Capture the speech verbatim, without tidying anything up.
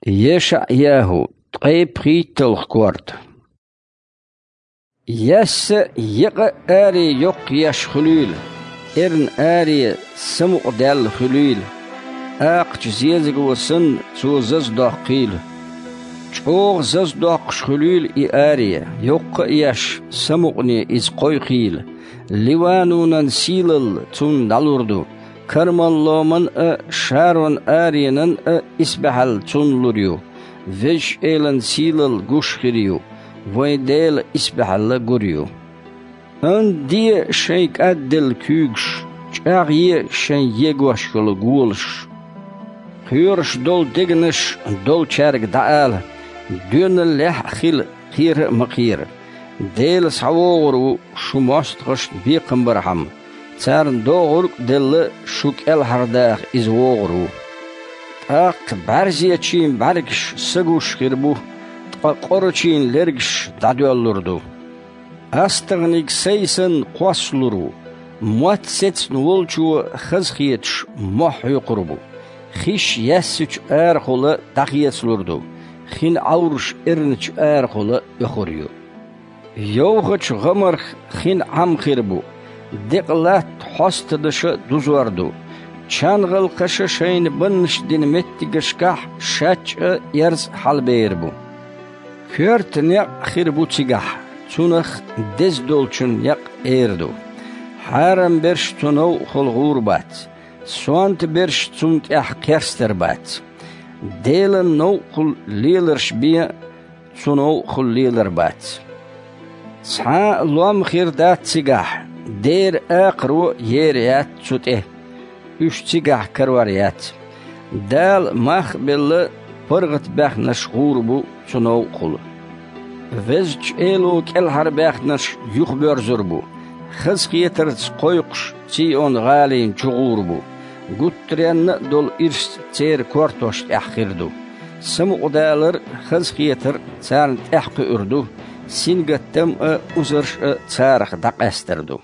ЕшаӀ-ЯхӀу, ткъе пхийтталгӀа корта. Яьсса екъа а аре йоккха еш хуьлийла, эрна аре самукъадаьлла хуьлийла, акхача зезаго санна, цо заза доккхийла. ЧӀогӀа заза доккхуш хуьлийла и аре, йоккха а еш, самукъане иза кхойкхийла. Ливанонан сийлалла цунна дӀалур ду, Кармал-ломан а, Шарон-аренан а исбаьхьалла цунна лур ю. Везачу Элан сийлалла гуш хир ю, вайн Делан исбаьхьалла гур ю. Анде шайн кӀадделла куьйгаш, чӀагӀъе шайн егош йолу голаш. Кхоьруш долу дегнаш долчаьрга дӀаала: «Доьналлехь а хила, кхера а ма кхера». Дела схьавогӀур ву шу мостагӀашна бекхам бархьама, царна догӀург а делла, шу кӀелхьардаха иза вогӀур ву. ТӀаккха бӀаьрзечийн бӀаьргаш са гуш хир бу, ткъа къорачийн лергаш дӀадоьллур ду. АстагӀниг сай санна кхоссалур ву, мотт сецна волчо хазахеташ мохь хьоькхур бу. Хиш яьссачу арахула дӀахецалур ду, хин Ӏовраш эрначу арахула оьхур ю. Йовхачу гӀамарх хин Ӏам хир бу, декъа латта хьостанаша дузор ду, чан гӀалкхаша шайна баннаш дина меттигашкахь шаьчча а, эрза а хьалабер бу. Коьрта некъ хир бу цигахь, цунах деза долчун некъ эр ду. Хьарам берш цу новкъахула гӀур бац, сонта берш цунна тӀехь кхерстар бац. Делан новкъахула леларш бен а, цу новкъахула лелар бац. Цхьа а лом хир дац цигахь, дера акхаро ер яц цу тӀе. Уьш цигахь карор яц. Дала мах а белла, паргӀатбаьхнарш гӀур бу цу новкъахула. Везачу Эло кӀелхьарбаьхнарш юхабоьрзур бу, хазахетарца кхойкхуш Цийон-гӀалина чу гӀур бу. Гуттаренна а долу ирс церан кортош тӀехь хир ду. Самукъадалар а, хазахетар а царна тӀаьхьакхуьур ду, сингаттам а, узарш а царах дӀакъаьстар ду.